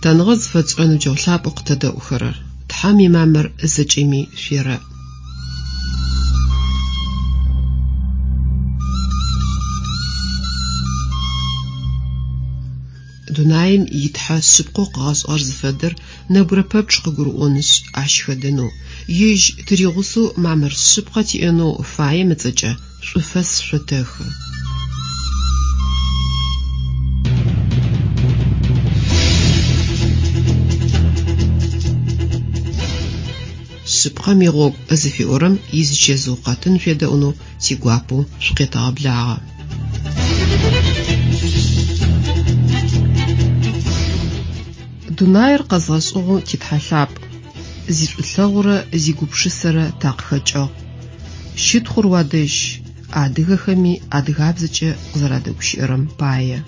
Лъытэныгъэ зыфэтшӏырэ ныбджэгъу лъапӏэу къытэдэӏухэрэр, Тхьэм имамыр зэкӏэми шъуерэӏ. Дунаим и Тхьэ шъыпкъэу къыгъэшӏыгъэр зыфэдэр нэбгырэ пэпчъ къыгурыӏонышъ, ащ хэдэнэу, ежь тыригъусэу мамыр шъыпкъэ тиӏэнэу фаем ыцӏэкӏэ шӏуфэс шъотэхы. Шъыпкъэм игъогу зыфиӏорэм изычэзыу къэтын шъуедэӏунэу тигуапэу шъукъетэгъэблагъэ. Дунаир къэзгъэшӏыгъэу ти Тхьэ лъапӏ, зишӏулъэгъурэ зигупшысэрэ такъыхэкӏыгъ. Щытхъур уадэжь, адыгэхэми адыгабзэкӏэ къызэрадэгущыӏэрэм пае.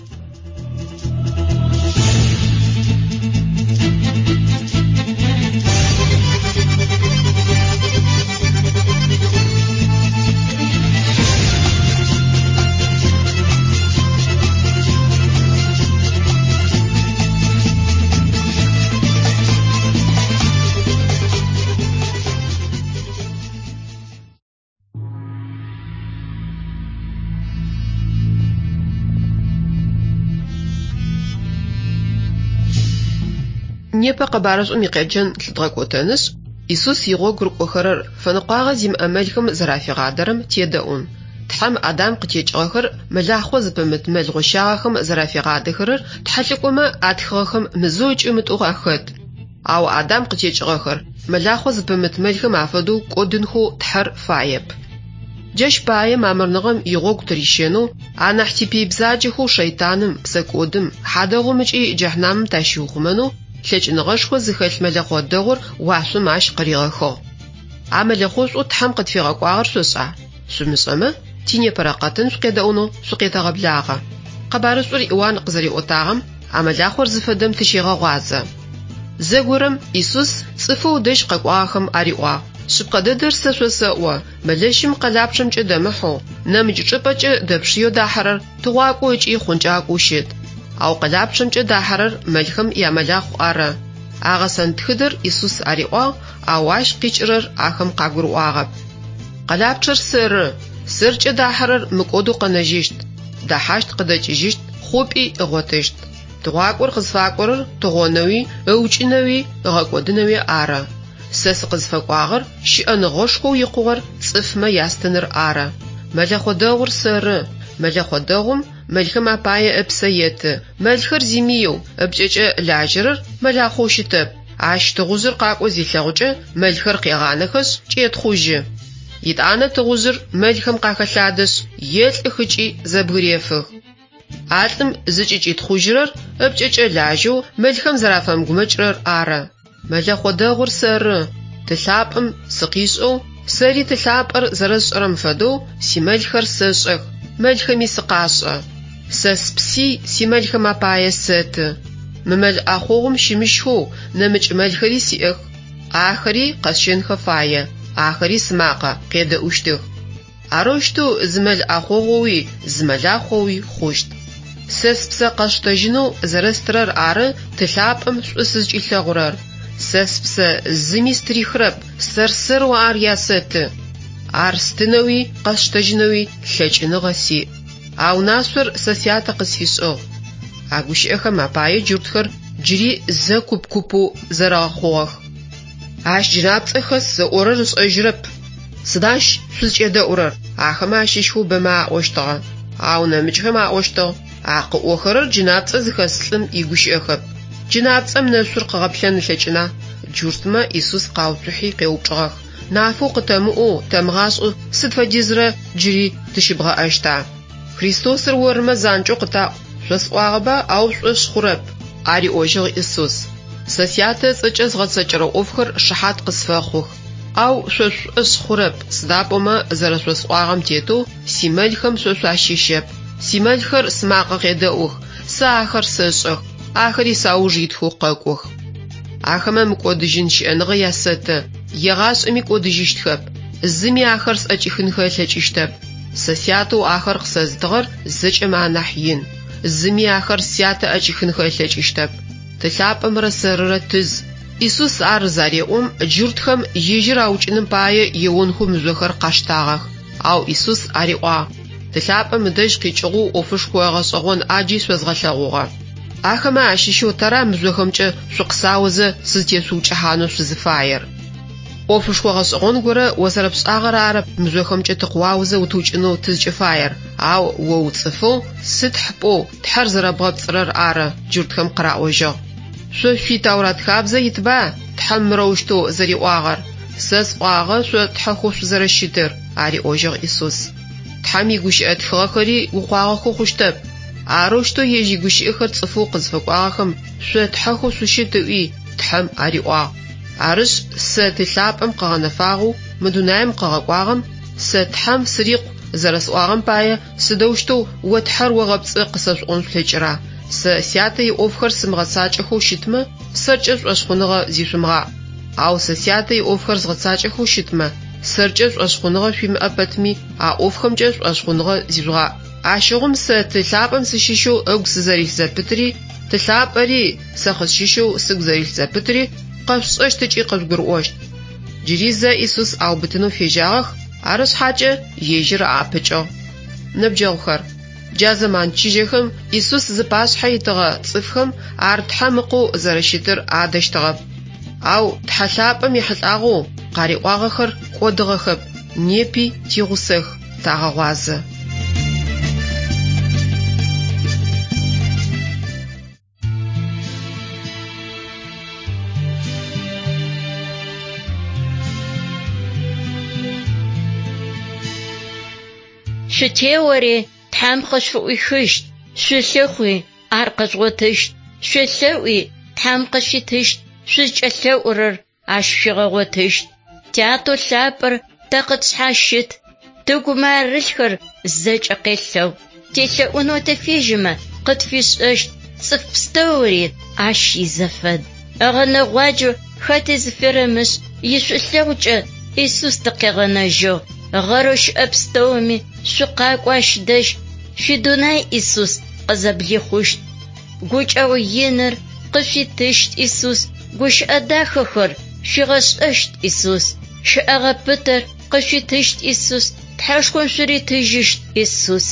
Непэ къэбарышӏум икъеджэн лъыдгъэкӏотэнышъ, Исус игъогу рыкӏохэрэр фэныкъуагъэ зимыӏэ мэлхэм зэрафигъадэрэм тедэӏун. Тхьэм Адам къытекӏыгъэхэр мэлахъо зыпымыт мэл гъощагъэхэм зэрафигъадэхэрэр тхьэлӏыкӏомэ атхыгъэхэм мызэу ыкӏи мытӏоу ахэт. Ау Адам къытекӏыгъэхэр мэлахъо зыпымыт мэлхэм афэдэу кӏодынхэу Тхьэр фаеп. Джащ пае мамырныгъэм игъогу тырищэнэу, анахь типый бзаджэхэу шэйтаным, псэкӏодым, хьадэгъум ыкӏи джэхьнамым тащиухъумэнэу лъэкӏыныгъэшхо зыхэлъ мэлэхъо дэгъур уашъом ащ къыригъэхыгъ. А мэлэхъошӏоу Тхьэм къытфигъэкӏуагъэр шъошӏа? Шъумышӏэмэ, тинепэрэ къэтын шъукъедэӏунэу шъукъетэгъэблагъэ. Къэбарышӏур Иуан къызэриӏотагъэм а мэлахъор зыфэдэм тыщегъэгъуазэ. Зэгорэм Исус цӏыфэу ыдэжь къэкӏуагъэхэм ариӏуагъ, Шъыпкъэ дэдэр сэ шъосэӏо, мэлэщым къэлапчъэмкӏэ дэмыхьэу, нэмыкӏ чӏыпӏэкӏэ дэпшыеу дахьэрэр тыгъуакӏоу ыкӏи хъункӏакӏоу щыт. Ау къэлапчъэмкӏэ дахьэрэр мэлхэм ямэлахъу ары. А гъэсэн тхыдэр Исус ариӏуагъ, ау ащ къикӏырэр ахэм къагурыӏуагъэп. Къэлапчъэр сэры, сэркӏэ дахьэрэр мыкӏодэу къэнэжьыщт, дэхьащт къыдэкӏыжьыщт, хъупӏи ыгъотыщт. Тыгъуакӏор къызфакӏорэр тыгъонэуи, ыукӏынэуи, ыгъэкӏодынэуи ары. Сэ сыкъызфэкӏуагъэр щыӏэныгъэшхоу икъугъэр цӏыфмэ ястыныр ары. Мэлэхъо дэгъур сэры. Мэлэхъо дэгъум мэлхэм апае ыпсэ еты. Мэлхэр зимыеу, ыпкӏэкӏэ лажьэрэр мэлахъоу щытэп. Ащ тыгъужъыр къакӏо зилъэгъукӏэ, мэлхэр къегъанэхэшъ, кӏетхъужьы. Етӏанэ тыгъужъыр мэлхэм къахэлъадэшъ, елӏых ыкӏи зэбгырефых. А лӏым зыкӏыкӏитхъужьырэр ыпкӏэкӏэ лажьэу мэлхэм зэрафэмыгумэкӏырэр ары. Мэлэхъо дэгъур сэры, Ты лъапӏэм сыкъишӏэу, сэри Ты лъапӏэр зэрэсшӏэрэм фэдэу симэлхэр сэшӏэх, мэлхэми сыкъашӏэ. Сэ спси симэлхэм апае сэты. Мы мэл ӏэхъогъум щымыщхэу нэмыкӏ мэлхэри сиӏэх. Ахэри къэсщэнхэ фае, ахэри сымакъэ къедэӏущтых. Арэущтэу зы мэл ӏэхъогъоуи зы мэлахъоуи хъущт. Сэ спсэ къэсштэжьынэу зэрэстырэр ары Ты лъапӏэм шӏу сызкӏилъэгъурэр. Сэ спсэ зыми стырихырэп, сэр-сэрэу ар ясэты. Ар стынэуи къэсштэжьынэуи лъэкӏыныгъэ сиӏ. А унашъор сэ Сятэ къысфишӏыгъ. А гущыӏэхэм апае джуртхэр джыри зэ куп-купэу зэрэгъэхъугъэх. Ащ джынапцӏэ хэс ыӏорэр ышӏэжьырэп. Сыда ащ шъузкӏедэӏурэр? Ахэмэ ащыщхэу бэмэ аӏощтыгъэ. Ау нэмыкӏхэм аӏощтыгъ, А къыӏохэрэр джынапцӏэ зыхэс лӏым игущыӏэхэп. Джынапцӏэм нэшъур къыгъэплъэн ылъэкӏына? Джуртмэ Исус къауцухьи къеупчӏыгъэх, Нафэу къытэмыӏоу, тэмыгъашӏэу сыд фэдизрэ джыри тыщыбгъэӏэщта? Христосыр ормэ занкӏэу къытаӏу, шъосӏуагъэба, ау шъушӏошъ хъурэп, ариӏожьыгъ Исус. Сэ Сятэ ыцӏэкӏэ згъэцэкӏэрэ ӏофхэр шыхьат къысфэхъух. Ау шъо шъушӏошъ хъурэп, сыда пӏомэ зэрэшъосӏуагъэм тетэу симэлхэм шъо шъуащыщэп. Симэлхэр сымакъэ къедэӏух, сэ ахэр сэшӏэх, ахэри сауж итхэу къэкӏох. Ахэмэ мыкӏодыжьын щыӏэныгъэ ясэты, егъашӏэми кӏодыжьыщтхэп, зыми ахэр сӏэкӏихынхэ ылъэкӏыщтэп. Сэ Сятэу ахэр къысэзытыгъэр зэкӏэмэ анахь ин. Зыми ахэр Сятэ ӏэкӏихынхэ ылъэкӏыщтэп. Ты лъапӏэмрэ сэрырэ тыз. Исус ар зареӏом, джуртхэм ежьыр аукӏыным пае еонхэу мыжъохэр къаштагъэх. Ау Исус ариӏуагъ: Ты лъапӏэм ыдэжь къикӏыгъэу ӏофышхо гъэшӏэгъон ӏаджи шъозгъэлъэгъугъэ. Ахэмэ ащыщэу тэра мыжъохэмкӏэ шъукъысаозэ сызтешъуукӏыхьанэу шъузыфаер? Ӏофышхо гъэшӏэгъон горэ о зэрэпшӏагъэр арэп мыжъохэмкӏэ тыкъыуаозэ утыукӏынэу тызкӏыфаер, ау о уцӏыфэу, сытхь пӏоу Тхьэр зэрэбгъэпцӏырэр ары, джуртхэм къыраӏожьыгъ. Шъо шъуи Тэурат хабзэ итба Тхьэм мырэущтэу зэриӏуагъэр: Сэ сӏуагъэ шъо тхьэхэу шъузэрэщытыр, ариӏожьыгъ Исус. Тхьэм игущыӏэ тхыгъэхэри укъуагъэхэу хъущтэп. Арэущтэу ежь игущыӏэхэр цӏыфэу къызфэкӏуагъэхэм шъо тхьэхэу шъущыт ыӏуи, Тхьэм ариӏуагъ. Арышъ, сэ Ты лъапӏэм къыгъэнэфагъэу мы дунаим къыгъэкӏуагъэм, сэ Тхьэм сырикъу зэрэсӏуагъэм пае сыдэущтэу о Тхьэр огъэпцӏы къысэшъуӏон шъулъэкӏыра? Сэ Сятэ иӏофхэр сымыгъэцакӏэхэу щытмэ, сэркӏэ шӏошъхъуныгъэ зишъумыгъаӏ. Ау сэ Сятэ иӏофхэр згъэцакӏэхэу щытмэ, сэркӏэ шӏошъхъуныгъэ шъуимыӏэ пэтми, а ӏофхэмкӏэ шӏошъхъуныгъэ зижъугъаӏ. Ащыгъум сэ Ты лъапӏэм сыщыщэу ыгу сызэрилъ зэпытри, Ты лъапӏэри сэ къысщыщэу сыгу зэрилъ зэпытри къэшъушӏэщт ыкӏи къыжъугурыӏощт. Джыри зэ Исус аубытынэу фежьагъэх, ары шъхьакӏэ ежьыр аӏэпыкӏыгъ. Ныбджэгъухэр, джа зэман чыжьэхэм Исус зыпашъхьэ итыгъэ цӏыфхэм ар Тхьэм Ыкъоу зэрэщытыр адэщтыгъэп. Ау Тхьэ лъапӏэм ехьылӏагъэу къариӏуагъэхэр кӏодыгъэхэп, непи тигъусэх, тагъэгъуазэ. Шъутеори, Тхьэм къышъуфыӏуихыщт, шъулъыхъуи, ар къэжъугъотыщт, шъуелъэӏуи, Тхьэм къышъуитыщт, шъузкӏэлъэӏурэр ащ шъуигъэгъотыщт. Тятэу лъапӏэр тэ къытшъхьащыт, тыгумэ арылъхэр зэкӏэ къелъэгъу. Телъэӏунэу тыфежьэмэ, къытфишӏэщт, цӏыф пстэури ащ изэфэд. Ыгъэнэгъуаджэу хэти зыферэмышӏ, ишӏулъэгъукӏэ Исус тыкъегъэнэжьыгъ. Гъэрэу щыӏэ пстэуми шъукъакӏо ащ дэжь, шъуидунай Исус къызэблихъущт. Гукӏэгъу иныр къышъуитыщт Исус, гущыӏэ дахэхэр шъуигъэшӏэщт Исус. Щэӏэгъэ пытэр къышъуитыщт Исус, Тхьэшхом шъуритыжьыщт Исус.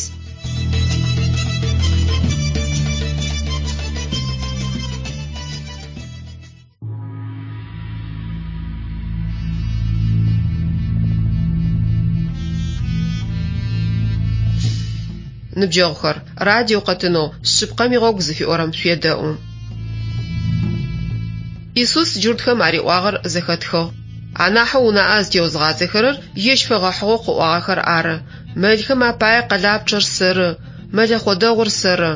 Ныбджэгъухэр, радио къэтынэу Шъыпкъэм игъогу зыфиӏорэм шъуедэӏу. Исус джуртхэм ариӏуагъэр зэхэтхыгъ. Анахьэу унаӏэ зытеозгъадзэхэрэр ежь фэгъэхьыгъэу къыӏуагъэхэр ары. Мэлхэм апае къэлапчъэр сэры, мэлэхъо дэгъур сэры.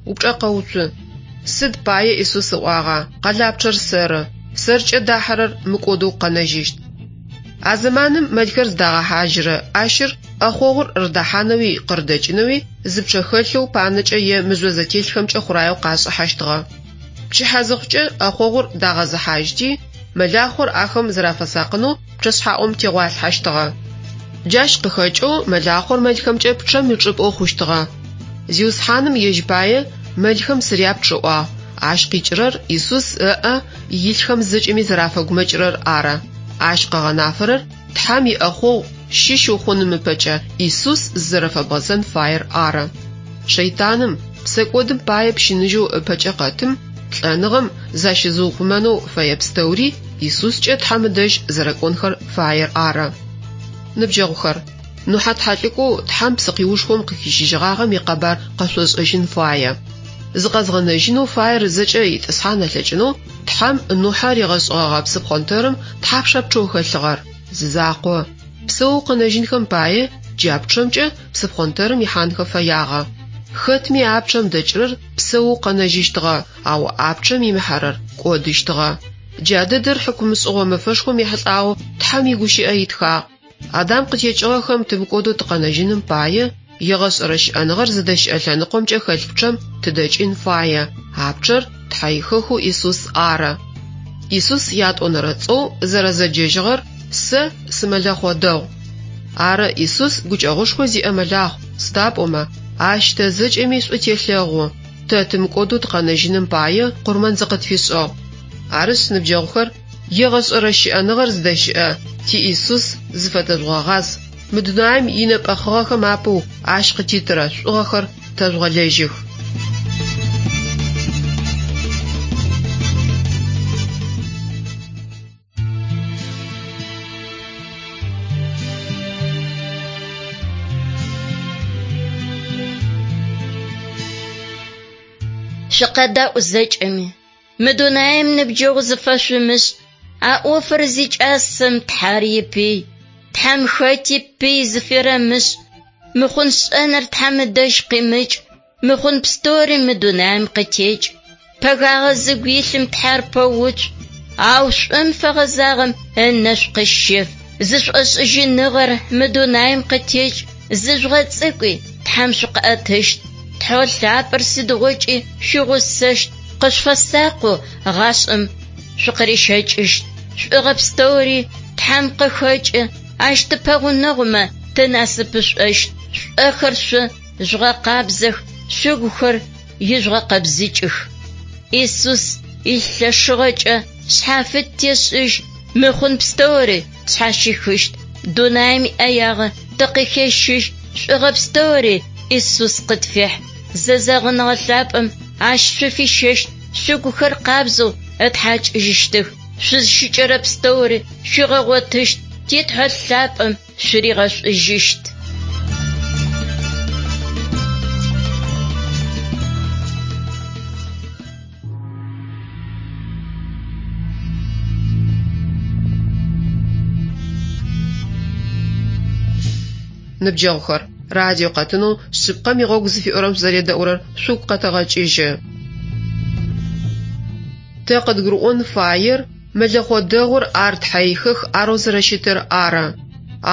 Упчӏэ къэуцу. Сыд пае Исус ыӏуагъа, къэлапчъэр сэры, сэркӏэ дахьэрэр мыкӏодэу къэнэжьыщт. А зэманым мэлхэр зыдагъэхьажьырэ ӏащыр ӏэхъогъур рыдэхьанэуи къырыдэкӏынэуи зы пчъэ хэлъэу панэкӏэ е мыжъо зэтелъхэмкӏэ хъураеу къашӏыхьэщтыгъэ. Пчыхьэ зыхъукӏэ ӏэхъогъур дагъэзыхьажьти, мэлахъор ахэм зэрафэсакъынэу пчъэшъхьаӏум тегъуалъхьэщтыгъэ. Джащ къыхэкӏэу мэлахъор мэлхэмкӏэ пчъэм ичӏыпӏэу хъущтыгъэ. Зиусхьаным ежь пае мэлхэм сыряпчъ ыӏуагъ, ащ къикӏырэр Исус ыӏэ илъхэм зэкӏэми зэрафэгумэкӏырэр ары. Ащ къыгъэнафэрэр Тхьэм иӏэхъогъу щыщ ухъуным ыпэкӏэ Исус зызэрэфэбгъэзэн фаер ары. Шэйтаным, псэкӏодым пае пщыныжьэу ыпэкӏэ къэтым, лӏэныгъэм защызыухъумэнэу фэе пстэури Исускӏэ Тхьэм ыдэжь зэрэкӏонхэр фаер ары. Ныбджэгъухэр, Нухьэ тхьэлӏыкӏоу Тхьэм псыкъиушхом къыхищыжьыгъагъэм икъэбар къэшъошӏэжьын фае. Зыкъэзгъэнэжьынэу фаер зэкӏэ итӏысхьан ылъэкӏынэу Тхьэм Нухьэ ригъэшӏыгъэгъэ псыпхъонтэрым тхьапша пчъэу хэлъыгъэр? Зы закъо. Псэоу къэнэжьынхэм пае джа пчъэмкӏэ псыпхъонтэрым ихьанхэ фэягъэ. Хэтми а пчъэм дэкӏырэр псэоу къэнэжьыщтыгъэ, ау а пчъэм имыхьэрэр кӏодыщтыгъэ. Джа дэдэр хьыкумышӏыгъо мэфэшхом ехьылӏагъэу Тхьэм игущыӏэ итхагъ. Адам къытекӏыгъэхэм тымыкӏодэу тыкъэнэжьыным пае, егъэшӏэрэ щыӏэныгъэр зыдэщыӏэ лъэныкъомкӏэ хэлъ пчъэм тыдэкӏын фае, а пчъэр Тхьэ ихэхэу Исус ары. Исус ятӏонэрэ цӏэу зэрэзэджэжьыгъэр Сэ сымэлэхъо дэгъу. Ары, Исус гукӏэгъушхо зиӏэ мэлахъу, сыда пӏомэ, ащ тэ зэкӏэми шӏу телъэгъу. Тэ тымыкӏодэу тыкъэнэжьыным пае къурмэн зыкъытфишӏыгъ. Арышъ, ныбджэгъухэр, егъэшӏэрэ щыӏэныгъэр зыдэщыӏэ ти Исус зыфэтэжъугъэгъаз, мы дунаим инэпӏэхъыгъэхэм апэу ащ къытитырэ шӏугъэхэр тэжъугъэлэжьых. Шъукъэдаӏу зэкӏэми. Мы дунаим ныбджэгъу зыфэшъумышӏ. А ӏофыр зикӏасэм Тхьэр ипый. Тхьэм хэти пый зыферэмышӏ. Мыхъун шӏэныр Тхьэм ыдэжь къимыкӏ. Мыхъун пстэури мы дунаим къытекӏ. Пэгагъэ зыгу илъым Тхьэр пэуцу. Ау шӏум фэгъэзагъэм ынэшӏу къыщеф. Зышӏошӏыжьыныгъэр мы дунаим къытекӏ. Зыжъугъэцӏыкӏуи Тхьэм шъукъыӏэтыщт. Тхьэу лъапӏэр сыдигъокӏи шъуигъусэщт. Къышъуфэсакъэу гъашӏэм шъукъырищэкӏыщт. Шӏугъэ пстэури Тхьэм къыхэкӏы, ащ тыпэгъунэгъумэ тынасыпышӏощт. Шъуӏэхэр шъо жъугъэкъабзэх, шъугухэр ижъугъэкъэбзыкӏых. Исус илъэшыгъэкӏэ шъхьафит тешӏыжь, мыхъун пстэури тшъхьащихыщт. Дунаим иӏэягъэ тыкъыхещыжь, шӏугъэ пстэури Исус къытфехь. Зэзэгъыныгъэ лъапӏэм ащ шъуфищэщт, шъугухэр къабзэу ытхьакӏыжьыщтых. Шъузщыкӏэрэ пстэури шъуигъэгъотыщт, ти Тхьэ лъапӏэм шъуригъэшӏужьыщт. Ныбджэгъухэр, радио къэтынэу шъыпкъэм игъогу зыфиӏорэм шъузэредэӏурэр шъугу къэтэгъэкӏыжьы. Тэ къыдгурыӏон фаер мэлэхъо дэгъур ар тхьэихых арэу зэрэщытыр ары.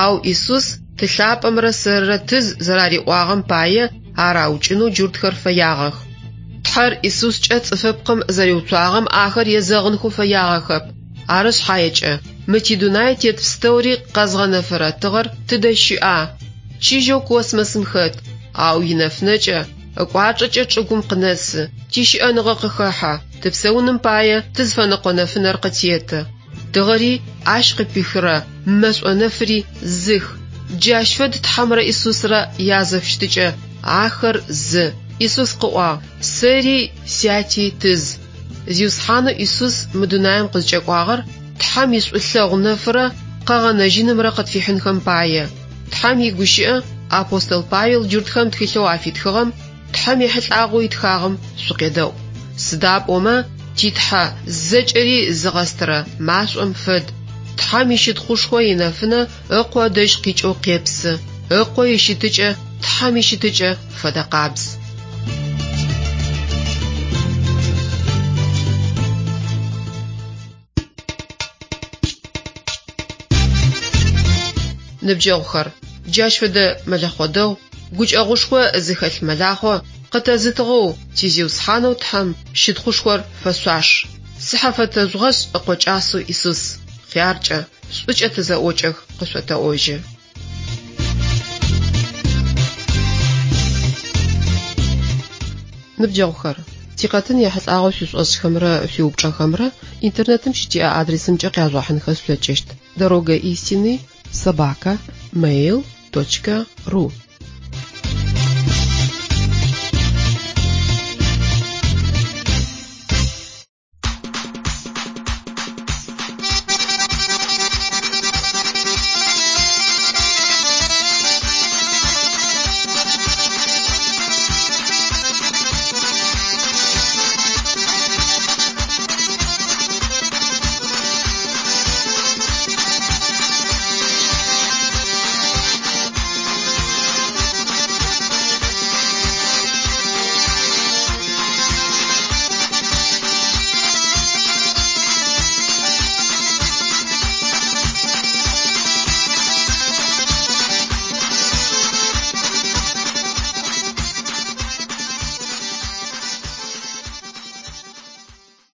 Ау Исус ты лъапӏэмрэ сэрырэ тыз зэрариӏуагъэм пае ар аукӏынэу джуртхэр фэягъэх. Тхьэр Исускӏэ цӏыфыпкъым зэриуцуагъэм ахэр езэгъынхэу фэягъэхэп. Ары шъхьаекӏэ, мы тидунай тет пстэури къэзгъэнэфырэ тыгъэр тыдэ щыӏа? Чыжьэу космосым хэт, ау инэфынэкӏэ, ыкӏуачӏэкӏэ чӏыгум къынэсы, тищыӏэныгъэ къыхэхьэ, тыпсэуным пае тызфэныкъо нэфынэр къытеты. Тыгъэри ащ къыпихырэ мэшӏо нэфыри зых. Джащ фэд Тхьэмрэ Исусрэ язэфыщытыкӏэ, ахэр зы. Исус къыӏуагъ: Сэри сяти тыз. Зиусхьанэу Исус мы дунаим къызкӏэкӏуагъэр Тхьэм ишӏулъэгъу нэфырэ къэгъэнэжьынымрэ къытфихьынхэм пае. Тхьэм игущыӏэ апостол Павел джуртхэм тхылъэу афитхыгъэм Тхьэм ехьылӏагъэу итхагъэм шъукъедэӏу. Сыда пӏомэ ти Тхьэ зэкӏэри зыгъэстырэ машӏом фэд. Тхьэм ищытхъушхо инэфынэ ыкъо ыдэжь къикӏэу къепсы. Ыкъо ищытыкӏэ Тхьэм ищытыкӏэ фэдэ къабз. Ныбджэгъухэр, джащ фэдэ мэлэхъо дэгъу, гукӏэгъушхо зыхэлъ мэлахъо къытэзытыгъэу ти Зиусхьанэу Тхьэм щытхъушхор фэшъуаш. Цыхьэ фэтэжъугъэшӏ ыкъо кӏасэу Исус. Хъяркӏэ, шӏукӏэ тызэӏокӏэх, къышъотэӏожьы. Ныбджэгъухэр, тикъэтын ехьылӏагъэу шъуишӏошӏхэмрэ шъуиупчӏэхэмрэ интернетым щытиӏэ адресымкӏэ къяжъугъэхьынхэ шъулъэкӏыщт: дорога истины собака mail.ru.